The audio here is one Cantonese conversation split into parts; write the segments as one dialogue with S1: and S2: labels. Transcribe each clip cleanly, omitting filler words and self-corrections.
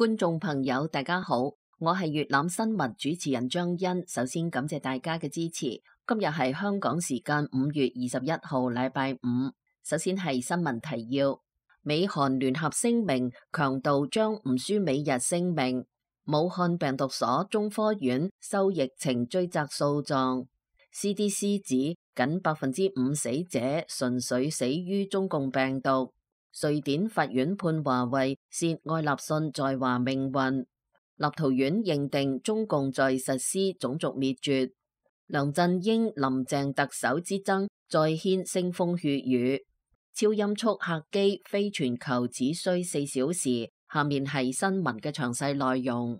S1: 觀眾朋友，大家好，我係粵覽新聞主持人張欣。首先感謝大家嘅支持。今日係香港時間5月21號，禮拜五。首先係新聞提要：美韓聯合聲明，強調將唔輸美日聲明。武漢病毒所中科院收疫情追責訴狀。CDC 指僅5%死者純粹死於中共病毒。瑞典法院判華為涉愛立信在華命運。立陶宛認定中共在實施種族滅絕。梁振英林鄭特首之爭再掀腥風血雨。超音速客機飛全球只需4小時。下面係新聞嘅詳細內容。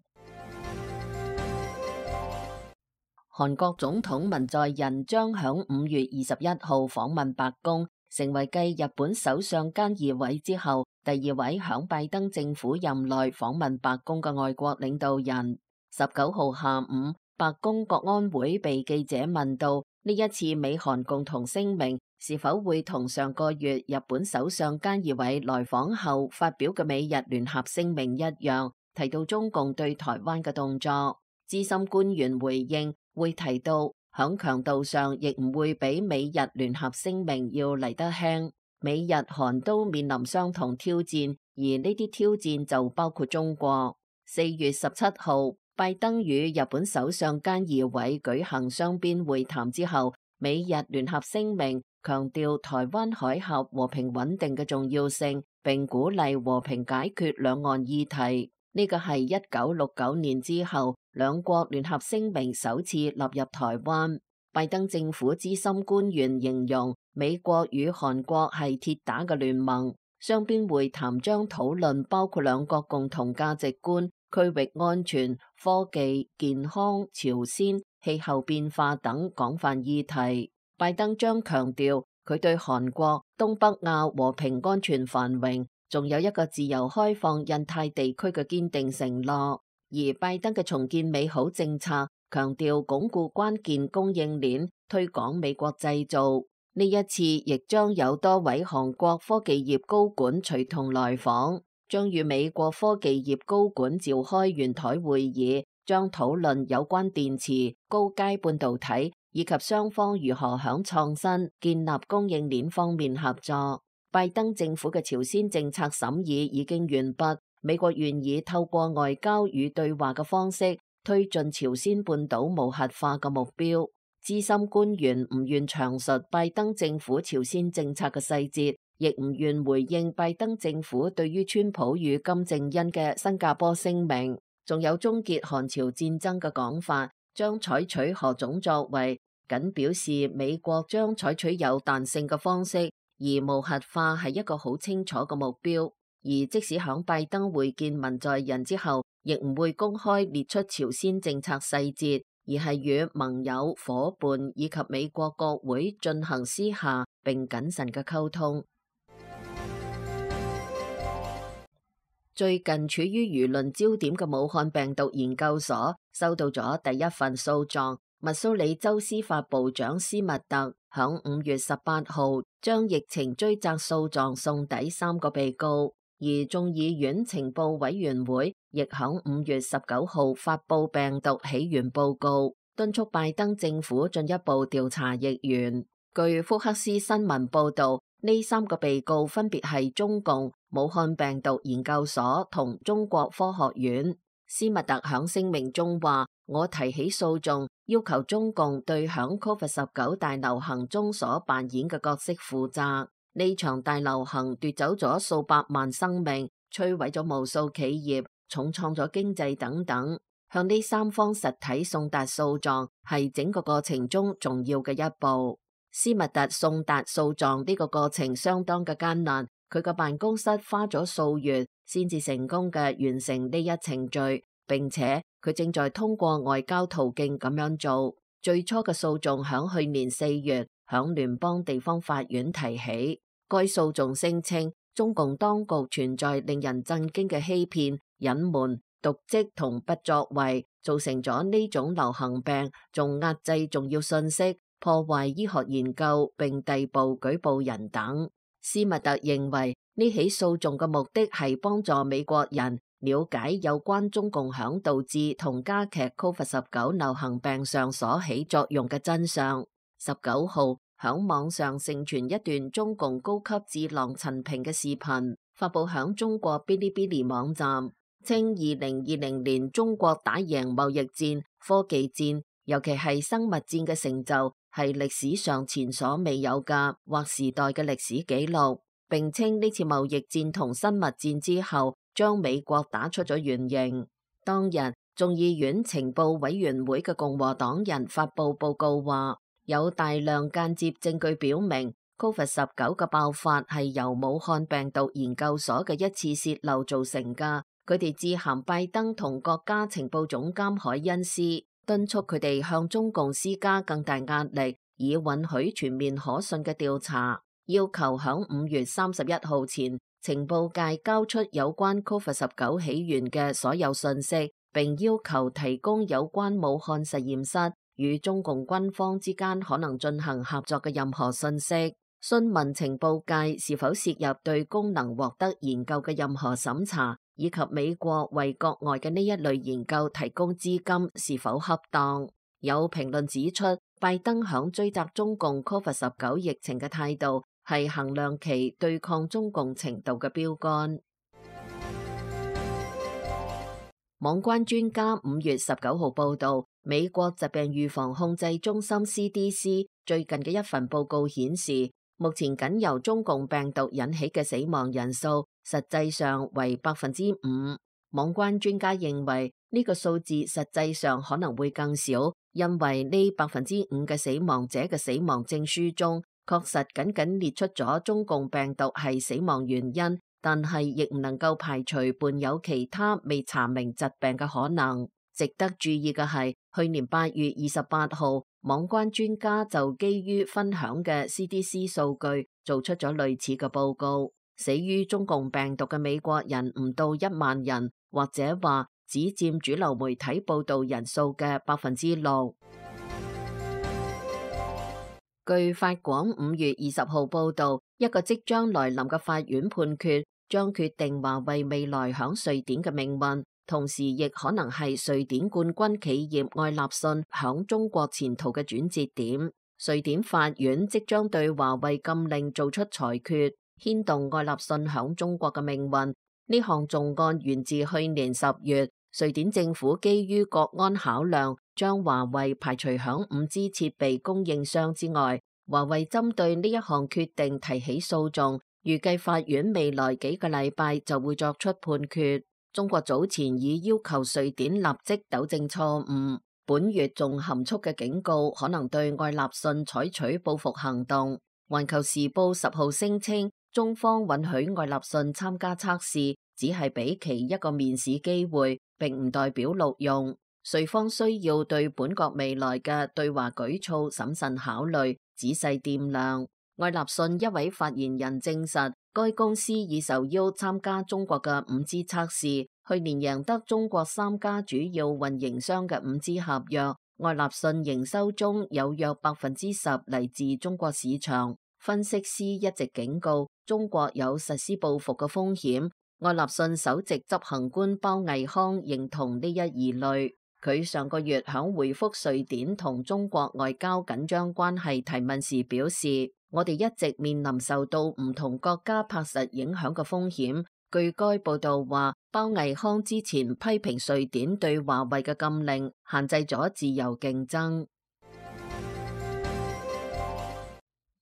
S1: 韓國總統文在寅將響5月21號訪問白宮，成為繼日本首相菅義偉之後第2位響拜登政府任內訪問白宮嘅外國領導人。19號下午，白宮國安會被記者問到呢一次美韓共同聲明是否會同上個月日本首相菅義偉來訪後發表嘅美日聯合聲明一樣，提到中共對台灣嘅動作。資深官員回應會提到響強度上亦唔會比美日聯合聲明要嚟得輕。美日韓都面臨相同挑戰，而呢啲挑戰就包括中國。4月17號，拜登與日本首相菅義偉舉行雙邊會談之後，美日聯合聲明強調台灣海峽和平穩定嘅重要性，並鼓勵和平解決兩岸議題。呢個係1969年之後兩國聯合聲明首次納入台灣。拜登政府資深官員形容美國與韓國係鐵打嘅聯盟。雙邊會談將討論包括兩國共同價值觀、區域安全、科技、健康、朝鮮、氣候變化等廣泛議題。拜登將強調佢對韓國、東北亞和平安全繁榮，仲有一個自由開放印太地區嘅堅定承諾。而拜登嘅重建美好政策強調鞏固關鍵供應鏈，推廣美國製造。呢一次亦將有多位韓國科技業高管隨同來訪，將與美國科技業高管召開圓台會議，將討論有關電池、高階半導體以及雙方如何響創新、建立供應鏈方面合作。拜登政府嘅朝鮮政策審議已經完畢，美國願意透過外交與對話嘅方式推進朝鮮半島無核化嘅目標。資深官員唔願詳述拜登政府朝鮮政策嘅細節，亦唔願回應拜登政府對於川普與金正恩嘅新加坡聲明，仲有終結韓朝戰爭嘅講法，將採取何種作為，僅表示美國將採取有彈性嘅方式。而無核化係一個好清楚嘅目標，而即使響拜登會見文在寅之後，亦唔會公開列出朝鮮政策細節，而係與盟友、夥伴以及美國國會進行私下並謹慎嘅溝通。最近處於輿論焦點嘅武漢病毒研究所收到咗第一份訴狀。密蘇里州司法部長斯密特響5月18號將疫情追責訴狀送抵3個被告，而眾議院情報委員會亦響5月19號發布病毒起源報告，敦促拜登政府進一步調查疫源。據福克斯新聞報道，呢3個被告分別係中共、武漢病毒研究所同中國科學院。斯密特響聲明中話：我提起訴訟，要求中共對響 COVID-19 大流行中所扮演嘅角色負責。呢場大流行奪走咗數百萬生命，摧毀咗無數企業，重創咗經濟等等。向呢3方實體送達訴狀係整個過程中重要嘅一步。斯密特送達訴狀呢個過程相當嘅艱難，佢個辦公室花咗數月先至成功嘅完成呢一程序，並且佢正在通過外交途徑咁樣做。最初嘅訴訟響去年4月響聯邦地方法院提起，該訴訟聲稱中共當局存在令人震驚嘅欺騙、隱瞞、瀆職同不作為，造成咗呢種流行病，仲壓制重要信息，破壞醫學研究並逮捕舉報人等。斯密特認為呢起訴訟嘅目的係幫助美國人了解有關中共響導致同加劇 COVID-19 流行病上所起作用嘅真相。19號，響網上盛傳一段中共高級智囊陳平嘅視頻，發佈響中國嗶哩嗶哩網站，稱2020年中國打贏貿易戰、科技戰，尤其係生物戰嘅成就係歷史上前所未有嘅劃時代嘅歷史紀錄，並稱呢次貿易戰同生物戰之後將美國打出咗原形。當日眾議院情報委員會嘅共和黨人發佈報告話，有大量間接證據表明 COVID-19 嘅爆發係由武漢病毒研究所嘅一次洩漏造成㗎。佢哋致函拜登同國家情報總監海恩斯，敦促佢哋向中共施加更大壓力，以允許全面可信嘅調查，要求響5月31號前情報界交出有關 COVID-19 起源嘅所有信息，並要求提供有關武漢實驗室與中共軍方之間可能進行合作嘅任何信息，詢問情報界是否涉入對功能獲得研究嘅任何審查，以及美國為國外嘅呢一類研究提供資金是否恰當。有評論指出，拜登響追責中共 COVID-19 疫情嘅態度係衡量其對抗中共程度嘅標杆。網關專家5月19號報道，美國疾病預防控制中心 CDC 最近嘅一份報告顯示，目前僅由中共病毒引起嘅死亡人數實際上為 5%。網關專家認為呢個數字實際上可能會更少，因為呢 5% 嘅死亡者嘅死亡證書中確實僅僅列出咗中共病毒係死亡原因，但係亦唔能夠排除伴有其他未查明疾病嘅可能。值得注意嘅係，去年8月28號，網關專家就基於分享嘅 CDC 數據做出咗類似嘅報告，死於中共病毒嘅美國人唔到1萬人，或者話只佔主流媒體報道人數嘅 6%。據法廣5月20號報道，一個即將來臨嘅法院判決將決定華為未來響瑞典嘅命運，同時亦可能係瑞典冠軍企業愛立信響中國前途嘅轉折點。瑞典法院即將對華為禁令做出裁決，牽動愛立信響中國嘅命運。呢項重案源自去年10月，瑞典政府基於國安考量，將華為排除響 5G 設備供應商之外。華為針對呢一項決定提起訴訟，預計法院未來幾個禮拜就會作出判決。中國早前已要求瑞典立即糾正錯誤，本月仲含蓄嘅警告可能對愛立信採取報復行動。環球時報10號聲稱，中方允許愛立信參加測試，只係俾其一個面試機會，並唔代表錄用。瑞方需要對本國未來嘅對華舉措審慎考慮，仔細掂量。愛立信一位發言人證實，該公司已受邀參加中國嘅 5G 測試，去年贏得中國3家主要運營商嘅 5G 合約。愛立信營收中有約 10% 嚟自中國市場。分析師一直警告，中國有實施報復嘅風險。愛立信首席執行官包毅康認同呢一疑慮。佢上個月響回覆瑞典同中國外交緊張關係提問時表示，我哋一直面臨受到唔同國家拍實影響嘅風險。據該報道話，包毅康之前批評瑞典對華為嘅禁令限制咗自由競爭。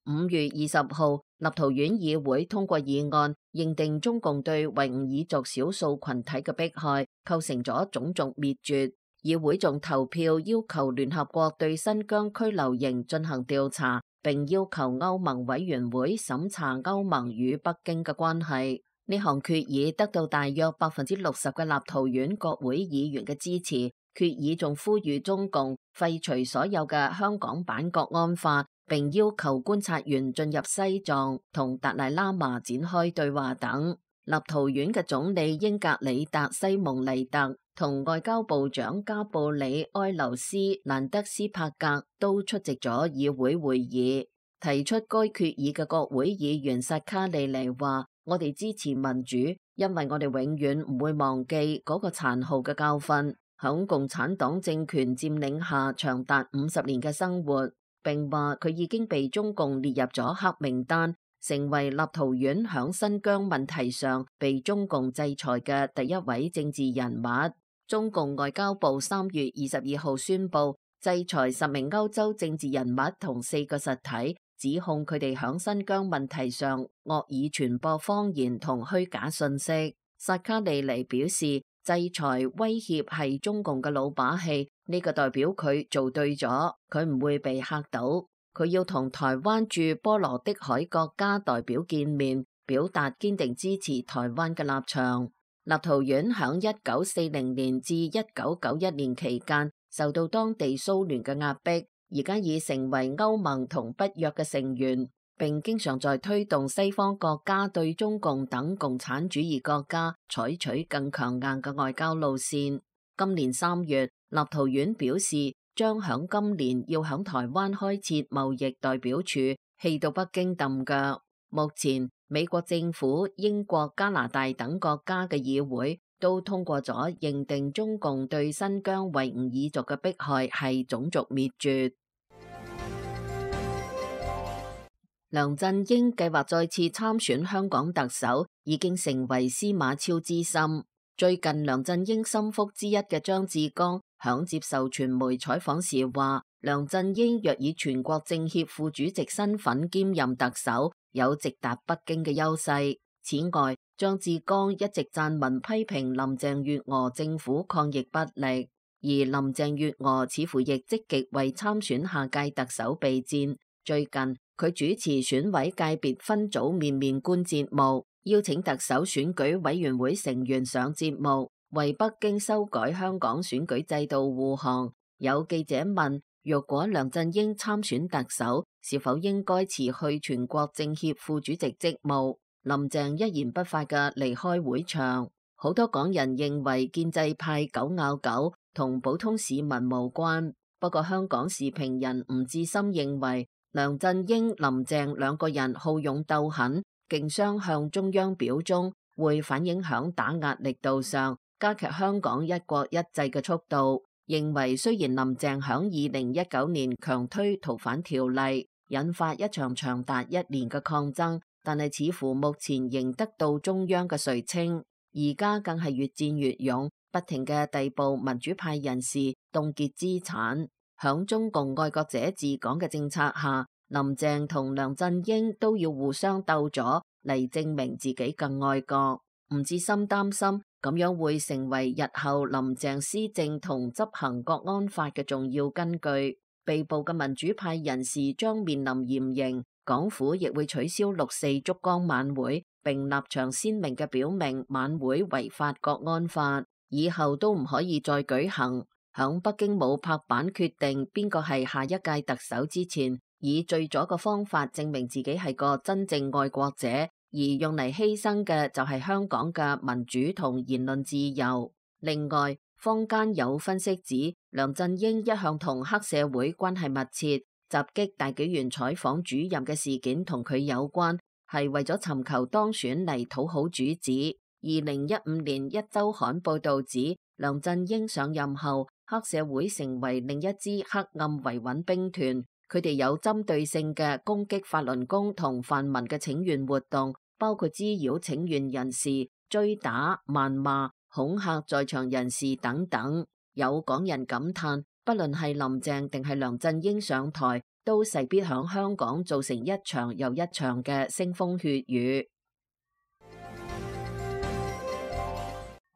S1: 5月20號，立陶宛議會通過議案，認定中共對維吾爾族少數群體嘅迫害構成咗種族滅絕。議會仲投票要求聯合國對新疆拘留營進行調查，並要求歐盟委員會審查歐盟與北京嘅關係。呢項決議得到大約 60% 嘅立陶宛國會議員嘅支持。決議仲呼籲中共廢除所有嘅香港版國安法，並要求觀察員進入西藏同達賴喇嘛展開對話等。立陶宛嘅總理英格里達西蒙尼特同外交部長加布里埃留斯蘭德斯帕格都出席咗議會會議。提出該決議嘅國會議員薩卡利尼話：我哋支持民主，因為我哋永遠唔會忘記嗰個殘酷嘅教訓，響共產黨政權佔領下長達50年嘅生活，並話佢已經被中共列入咗黑名單，成為立陶宛響新疆問題上被中共制裁嘅第一位政治人物。中共外交部3月22號宣布制裁10名歐洲政治人物同4個實體，指控佢哋響新疆問題上惡意傳播謊言同虛假信息。薩卡利尼表示，制裁威脅係中共嘅老把戲，呢個代表佢做對咗，佢唔會被嚇到。佢要同台灣駐波羅的海國家代表見面，表達堅定支持台灣嘅立場。立陶宛響1940年至1991年期間受到當地蘇聯嘅壓迫，而家已成為歐盟同北約嘅成員，並經常在推動西方國家對中共等共產主義國家採取更強硬嘅外交路線。今年3月，立陶宛表示將響今年要響台灣開設貿易代表處，氣到北京揼腳。目前美國政府、英國、加拿大等國家嘅議會都通過咗認定中共對新疆維吾爾族嘅迫害係種族滅絕。梁振英計劃再次參選香港特首，已經成為司馬昭之心。最近梁振英心腹之一嘅張志剛響接受傳媒採訪時話，梁振英若以全國政協副主席身份兼任特首，有直達北京嘅優勢。此外，張志剛一直撰文批評林鄭月娥政府抗疫不力，而林鄭月娥似乎亦積極為參選下屆特首備戰。最近佢主持選委界別分組面面觀節目，邀請特首選舉委員會成員上節目，為北京修改香港選舉制度護航。有記者問，若果梁振英參選特首，是否應該辭去全國政協副主席職務？林鄭一言不發嘅離開會場。好多港人認為建制派狗咬狗同普通市民無關。不過香港時評人吳志森認為，梁振英、林鄭兩個人好勇鬥狠，競相向中央表忠，會反映響打壓力度上，加劇香港一國一制嘅速度。認為雖然林鄭響2019年強推逃犯條例，引發一場長達1年嘅抗爭，但係似乎目前仍得到中央嘅垂青，而家更係越戰越勇，不停嘅逮捕民主派人士，凍結資產。響中共愛國者治港嘅政策下，林鄭同梁振英都要互相鬥咗嚟證明自己更愛國。吳志森擔心咁樣會成為日後林鄭施政同執行國安法嘅重要根據。被捕嘅民主派人士將面臨嚴刑，港府亦會取消6·4燭光晚會，並立場鮮明嘅表明晚會違反國安法，以後都唔可以再舉行。響北京冇拍板決定邊個係下一屆特首之前，以最左嘅方法證明自己係個真正愛國者，而用嚟犧牲嘅就係香港嘅民主同言論自由。另外，坊間有分析指，梁振英一向同黑社會關係密切，襲擊大紀元採訪主任嘅事件同佢有關，係為咗尋求當選嚟討好主子。2015年一週刊報道指，梁振英上任後，黑社會成為另一支黑暗維穩兵團，佢哋有針對性嘅攻擊法輪功同泛民嘅請願活動，包括滋擾請願人士、追打、謾罵、恐嚇在場人士等等。有港人感嘆，不論係林鄭定係梁振英上台，都勢必響香港造成一場又一場嘅腥風血雨。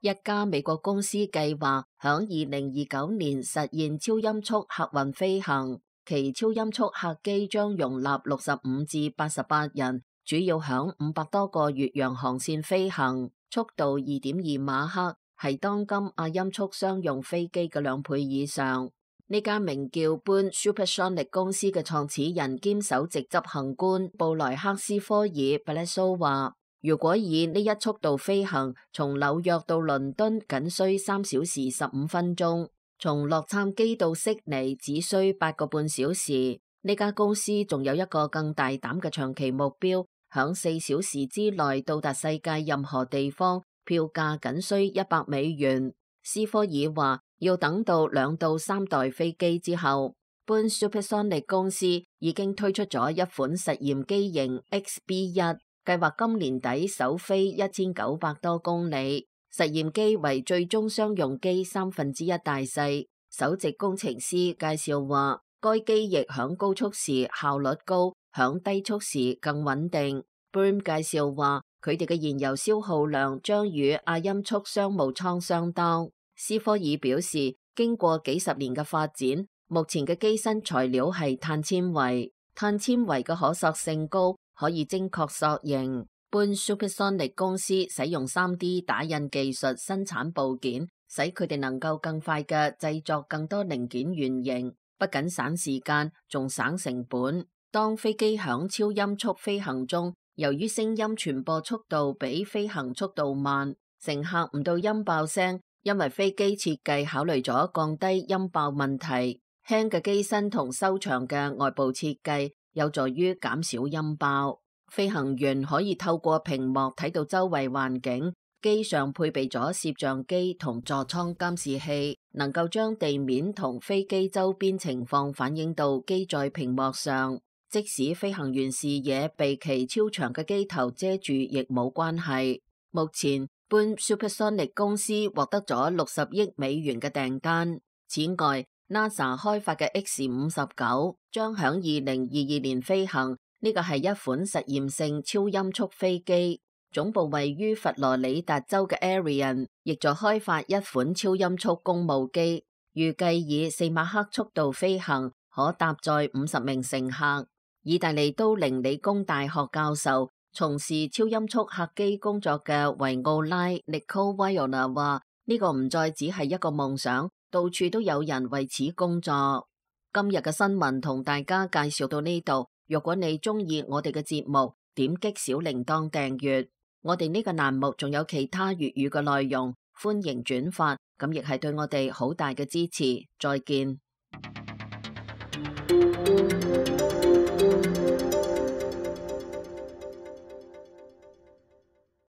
S1: 一家美國公司計劃響2029年實現超音速客運飛行，其超音速客機將容納65至88人，主要響500多個越洋航線飛行，速度2.2馬赫，係當今亞音速商用飛機嘅2倍以上。呢家名叫 Boon Supersonic 公司嘅創始人兼首席執行官布萊克斯科爾·布列蘇話，如果以呢一速度飛行，從紐約到倫敦僅需3小時15分鐘，從洛杉磯到悉尼只需8個半小時。呢家公司仲有一個更大膽嘅長期目標，響4小時之內到達世界任何地方，票價僅需$100。斯科爾話要等到2到3代飛機之後，Boeing Supersonic 公司已經推出咗一款實驗機型 XB1，計劃今年底首飛1900多公里。實驗機為最終商用機1/3大細。首席工程師介紹話，該機翼響高速時效率高，響低速時更穩定。Boeing 介紹話，佢哋嘅燃油消耗量將與亞音速商務艙相當。斯科爾表示，經過幾十年嘅發展，目前嘅機身材料係碳纖維，碳纖維嘅可塑性高，可以精確塑形。Boeing Supersonic 公司使用 3D 打印技術生產部件，使佢哋能夠更快嘅製作更多零件原型，不僅省時間，仲省成本。當飛機響超音速飛行中，由於聲音傳播速度比飛行速度慢，乘客唔到音爆聲，因為飛機設計考慮咗降低音爆問題。輕嘅機身同修長嘅外部設計有助於減少音爆。飛行員可以透過屏幕睇到周圍環境，機上配備咗攝像機同座艙監視器，能夠將地面同飛機周邊情況反映到機載屏幕上，即使飛行員視野被其超長嘅機頭遮住亦冇關係。目前Boeing Supersonic 公司獲得咗$60億嘅訂單。此外，NASA 開發嘅 X-59將響2022年飛行。呢個係一款實驗性超音速飛機，總部位於佛羅里達州嘅 Ariane 亦在開發一款超音速公務機，預計以4馬赫速度飛行，可搭載50名乘客。意大利都靈理工大學教授、從事超音速客機工作嘅維奧拉 Nicole Viola 話：呢個唔再只係一個夢想，到處都有人為此工作。今日嘅新聞同大家介紹到呢度。如果你中意我哋嘅節目，點擊小鈴鐺訂閱。我哋呢個欄目仲有其他粵語嘅內容，歡迎轉發，咁亦係對我哋好大嘅支持。再見。